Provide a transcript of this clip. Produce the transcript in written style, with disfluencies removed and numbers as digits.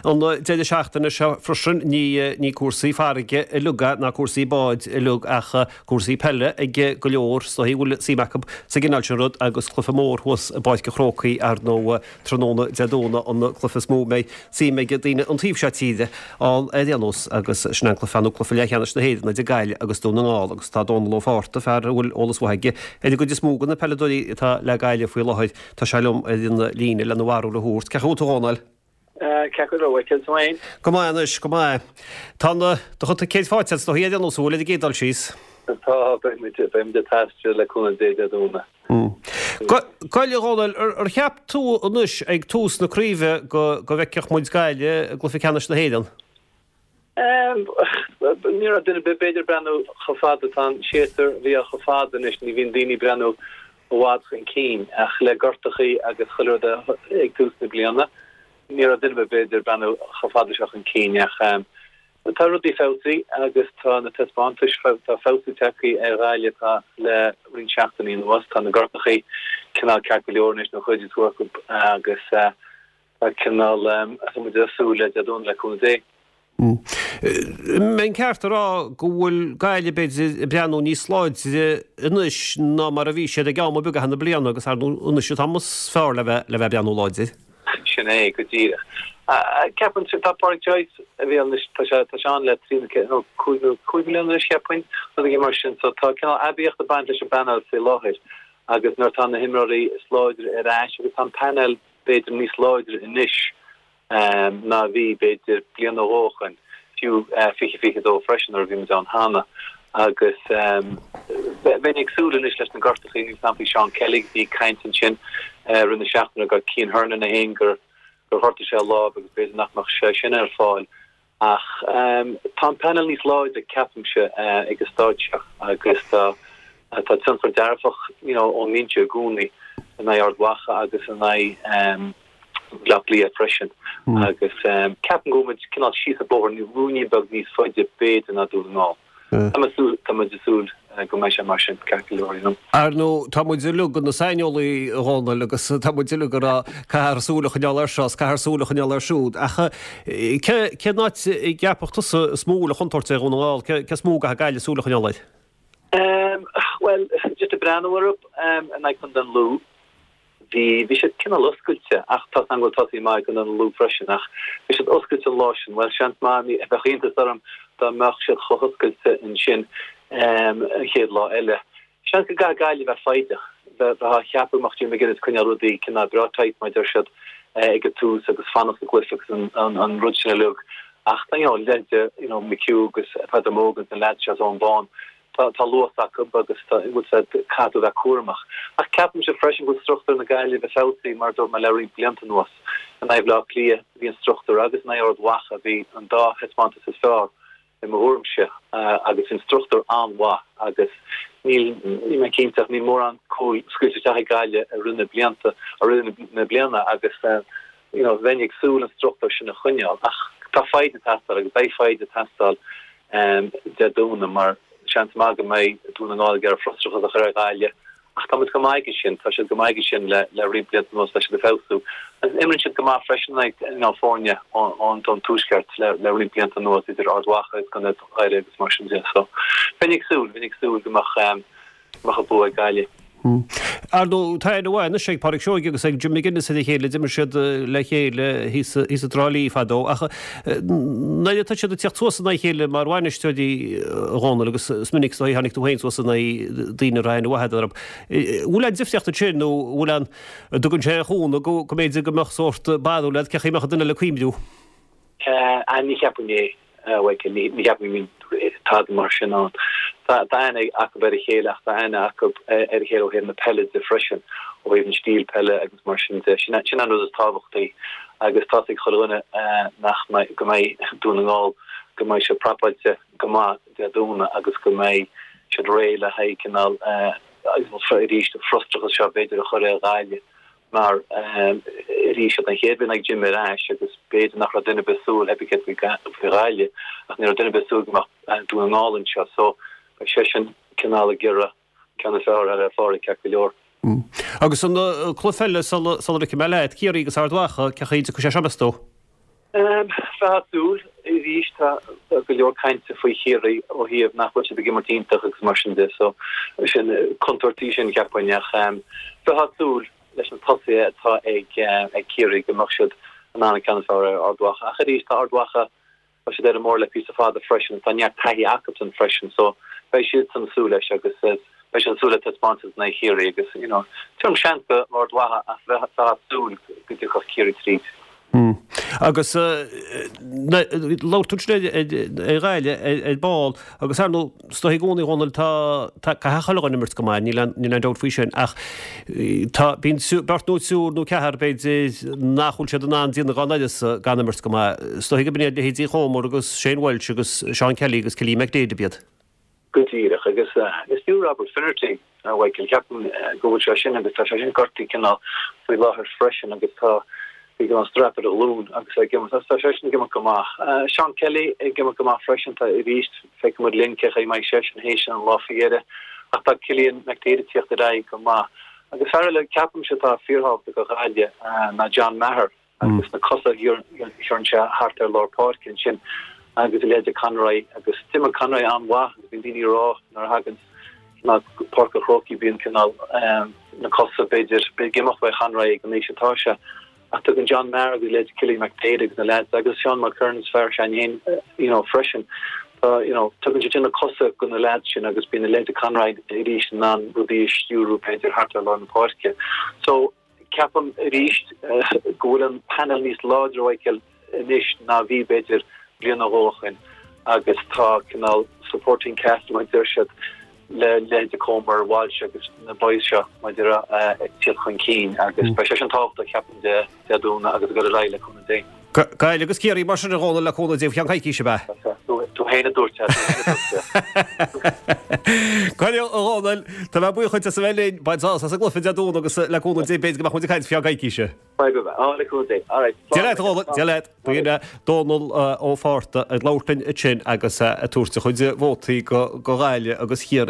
An deireadh seachtaine seo freisin, ní cúrsaí farraige uilig ná cúrsaí báid uilig ach cúrsaí peile ag go leor is dóigh a bhfuil suim acu sa gcineál sin rud agus cluiche mór thuas i bPáirc an Chrócaigh ar ndóigh tráthnóna Dé Domhnaigh an cluiche is mó a mbeidh suim ag daoine an taobh seo tíre ann ar aon nós agus sin an cluiche nó cluiche leathcheannais na hÉireann idir Gaillimh agus Dún na nGall agus tá Dónal Ó Fátharta, fear a bhfuil eolas mhaith aige ar an gcuid is mó de na peileadóirí atá le Gaillimh faoi láthair, tá sé liom ar an líne lena bharúil a thabhairt. Cén chaoi a bhfuil tú a Dhónaill? Ceart go leor, cén chaoi? Go maith anois, go maith. Tá na, do chuid ticéid faighte agat is dóigh ar aon nós, an bhfuil ar an gcéad dul síos? Tá, beidh muid, beidh muid ag taisteal le cúnamh Dé Dé Domhnaigh. Gabh i leith a Dhónaill, ar cheap tú anois ag tús na craoibhe go, go bhfeicfeadh muid Gaillimh i gcluiche ceannais na hÉireann? Ní raibh duine ar bith b'fhéidir ag breathnú chomh fada, tá an séasúr a bhí chomh fada anois, ní bhíonn daoine ag breathnú i bhfad chun cinn ach le gortachaí agus chuile rud ag tús na bliana, ní raibh duine ar bith b'fhéidir ag breathnú chomh fada seo chun cinn ach tá rudaí feabhsaithe agus tá na taispeántais, tá feabhsú tagtha ar Ghaillimh tá le roinnt seachtainí anuas, tá na gortachaí cineál ceart go leor anois nó chuid is mó acu agus Tá cineál, tá muid ag súil le Dé Domhnaigh le cúnamh Dé. An mbeinn ceart a rá go bhfuil Gaillimh b'fhéidir ag breathnú níos láidre anois ná mar a bhí siad ag am ar bith i gcaitheamh na bliana agus ar ndóigh anois an t-am is fearr le bheith le bheith ag breathnú láidir. Sin é go díreach. Ceapaim, tá Pádraic Joyce a bhí ann anois, tá sé tá sé ann le trí nó ceithre nó cúig nó cúig bliana anois cheapfainn, rud éigin mar sin. So tá cineál aibíocht ag baint leis an bpainéal faoi láthair agus nuair atá na himreoirí is láidre ar ais agus tá an painéal b'fhéidir níos láidre anois ná a bhí, b'fhéidir, bliain nó dhó ó shoin, fiú 2022 freisin nuair a bhí muid ann cheana. Agus bheinn ag súil anois leis na gortachaí, níl 's a'm faoi Seán Kelly, bhí caint ansin i rith na seachtaine go Cian Hernon é féin gur ghortaigh sé a lámh agus b'fhéidir nach mbeadh sé sin ar fáil. Ach tá an painéal níos láidre, ceapaimse, ag an staid seo agus tá tionchar dearfach you know ón mbinse i gcónaí in aghaidh Ard Mhacha agus in aghaidh Bhaile Átha Cliath freisin. Agus ceapaim go bhfuil muid cineál síos an bóthar ruainnín beag níos faide b'fhéidir ná Dún na nGall. Tá muid ag súil go mbeidh sé mar sin, ceart go leor, you know. Ar ndóigh, tá muid uilig ina saineolaí, a Dhónaill, agus tá muid uilig ag rá, caithfear súil a choinneáil air seo is caithfear súil a choinneáil air siúd. Ach cén áit a gceapfadh tusa is mó a bhfuil an chontúirt ar Dhún na nGall? Cé is mó a gcaithfidh Gaillimh súil a choinneáil air? Bhuel, just ag breathnú orthu in aghaidh Chontae an Lú, Bhí, bhí siad cineál oscailte, ach tá 's agam go bhfuil tosaí maith ag Contae an Lú freisin, ach bhí siad oscailte an lá sin. Bhuel, seans maith, ní, bheadh iontas orm dá mbeadh siad chomh hoscailte ansin an chéad lá eile. Seans go gcaithfidh Gaillimh bheith foighdeach, bheith, bheith á cheapadh go mbeadh Jim McGuinness ag coinneáil rudaí cineál breá tight, mar a deir siad, ag an tús agus fanacht sa gcluiche agus an, an, an rud sin uilig. Ach tá, you know, leithéide, you know, McHugh agus Peadar Mogan agus na leaids seo is Eoghan Bán, Tá luas acu agus tá, bhfuil 's a'd, caithfidh tú a bheith cúramach. Ach ceapaimse freisin go bhfuil struchtúr na Gaillimhe feabhsaithe, mar a dúirt mé, le roinnt blianta anuas. In aghaidh Bhaile Átha Cliath bhí an struchtúr agus in aghaidh Ard Mhacha bhí an dá thaispeántas is fearr i mo thuairimse agus bhí an struchtúr an-mhaith agus níl, níl mé cinnte ach níl mórán cúil scaoilte isteach ag Gaillimh i rith na blianta, i rith na bliana agus you know bheinn ag súil an struchtúr sin a choinneáil ach tá foighid ag teastáil agus beidh foighid ag teastáil Dé Domhnaigh mar seans maith go mbeidh Dún na nGall ag iarraidh frustrachas a chur ar Ghaillimh ach tá muid go maith aige sin, tá siad go maith aige sin le le roinnt blianta anuas, tá siad ag feabhsú agus imríonn siad go maith freisin in aghaidh you know foirne ón ón tuaisceart le le roinnt blianta anuas idir Ard Mhacha agus Contae Dhoire agus mar sin de so bheinn ag súil, bheinn ag súil go mbeadh go mbeadh an bua ag Gaillimh. Ar ndóigh, tá aithne mhaith anois ag Pádraic Seoighe agus ag Jim McGuinness ar a chéile, d'imir siad le chéile thíos i dTrá Lí fadó, ach nuair atá siad ag tíocht suas in aghaidh a chéile mar bhainisteoirí, a Dhónaill, agus is minic is dóigh a tháinig tú féin suas in aghaidh daoine a raibh aithne mhaith agat orthu, bhfuil aon difríocht ansin nó bhfuil aon, an dtugann sé aon chúnamh go mb'fhéidir go mbeadh sórt barúil agat cén chaoi a mbeadh an duine eile ag cuimhniú? Ní cheapaim é. Mhichael, ní cheapaim go mbíonn tada mar sin ann. Tá aithne acu ar a chéile ach tá aithne acu ar a chéile ó thaobh na peile de freisin, ó thaobh an stíl peile agus mar sin de. Sin an rud is tábhachtaí agus tá's ag chuile dhuine nach mbeidh, go mbeidh Dún na nGall, go mbeidh siad prapáilte go maith Dé Domhnaigh agus go mbeidh siad réidh le haghaidh cineál arís an frustrachas seo b'fhéidir a chur ar Ghaillimh. Mar arís siad an chéad bhliain ag Jim ar ais agus b'fhéidir nach raibh duine ar bith ag súil, theip céard faoi Ghaillimh, ach ní raibh duine ar bith ag súil go mbeadh Dún na nGall anseo. So beidh seisean cineál ag iarraidh ceann is fearr a fháil ar Phádraic ceart go leor. Agus an cluiche eile sula ligfidh mé leat, Ciarraí agus Ard Mhacha, cén chaoi a dtiocfaidh sé seo meas tú? Bheifeá ag súil, arís tá go leor cainte faoi Chiarraí ó thaobh nach bhfuil siad ag imirt iontach agus mar sin de so sin contúirt í sin cheapfainn ach bheifeá ag súil leis na tosaithe atá ag Ciarraí go mbeadh siad in ann an ceann is fearr ar Ard Mhacha ach arís tá Ard Mhacha Tá siad ar an mbóthar le píosa fada freisin, tá neart taithí acusan freisin so beidh siadsan ag súil leis agus beidh siad ag súil le taispeántas in aghaidh Chiarraí agus you know tuairim seans do Ard Mhacha ach bheifeá ag súil go dtiocfadh Ciarraí tríd. Agus labhair tú ansin ar Ghaillimh ar ball agus ar ndóigh Is dóigh i gcónaí, a Dhónaill, tá, tá, caithfidh chuile dhuine imirt go maith, níl aon, níl aon dabht faoi sin, ach tá, bíonn beirt nó triúr nó ceathrar, b'fhéidir, nach bhfuil siad in ann déanamh dá n-uireasa gan imirt go maith. Is dóigh gurb in iad leithéidí Chomer agus Shane Walsh agus Seán Kelly agus Cillian McDaid ab iad. Go díreach, agus is fiú Robert Finnerty, a Mhichael, ceapaim go bhfuil sé sin agus tá sé sin gortaithe cineál faoi láthair freisin agus tá bhí cineál strap ar a ghlúin agus é ag imirt agus tá seisean ag imirt go maith. Seán Kelly ag imirt go maith freisin, tá arís feicfidh muid linn cé chaoi a mbeidh seisean théis an lá faoi dheireadh ach tá Cillian McDaid ag tíocht ar aghaidh go maith. Agus fear eile ceapaimse atá fíorthábhachtach do Ghaillimh ná John Maher. agus na cosa a chuireann sé thart ar lár páirce ansin agus a leithéid de Conroy agus d'imir Conroy an-mhaith agus bíonn daoine ag rá nuair a thagann cineál Páirc an Chrócaigh bíonn cineál na cosa b'fhéidir ag imeacht uaidh Conroy ag an aois atá sé ach tugann John Maher agus a leithéid de Cillian McDaid agus na leaids agus Seán Mulkerrins fear s'againn féin you know freisin tá you know tugann siad sin na cosa go na leaids sin agus bíonn a leithéid de Conroy arís in ann rudaí a stiúrú b'fhéidir thart ar lár na páirce so Ceapaim arís go bhfuil an panel níos láidre, Mhichael, anois ná bhí, b'fhéidir, bliain nó dhó ó shoin agus tá cineál supporting cast, mar a deir siad, le leithéide Comer, Walsh agus na boys seo, mar a déarfá, ag tíocht chun cinn agus beidh sé sin tábhachtach, ceapaim, Dé Domhnaigh agus ag dul ar aghaidh le cúnamh Dé. Gaillimh agus Ciarraí mar sin, a Dhónaill, le cúnamh Dé faoi cheann coicíse, ab ea? Tú féin a dúirt é, tú féin a dúirt é. Coinneal, a Dhónaill, tá mé buíoch duit as a bheith linn, bain sásamh as an gcluiche Dé Domhnaigh agus le cúnamh Dé b'fhéidir go mbeadh muid ag caint faoi cheann coicíse. Beidh, beidh, á, le cúnamh Dé. All right. Dia leat, a Dhónaill, Dia leat. B'in é Dónal Ó Fátharta ag labhairt linn ansin agus ag tabhairt a chuid vótaí do Ghaillimh agus Chiarraí.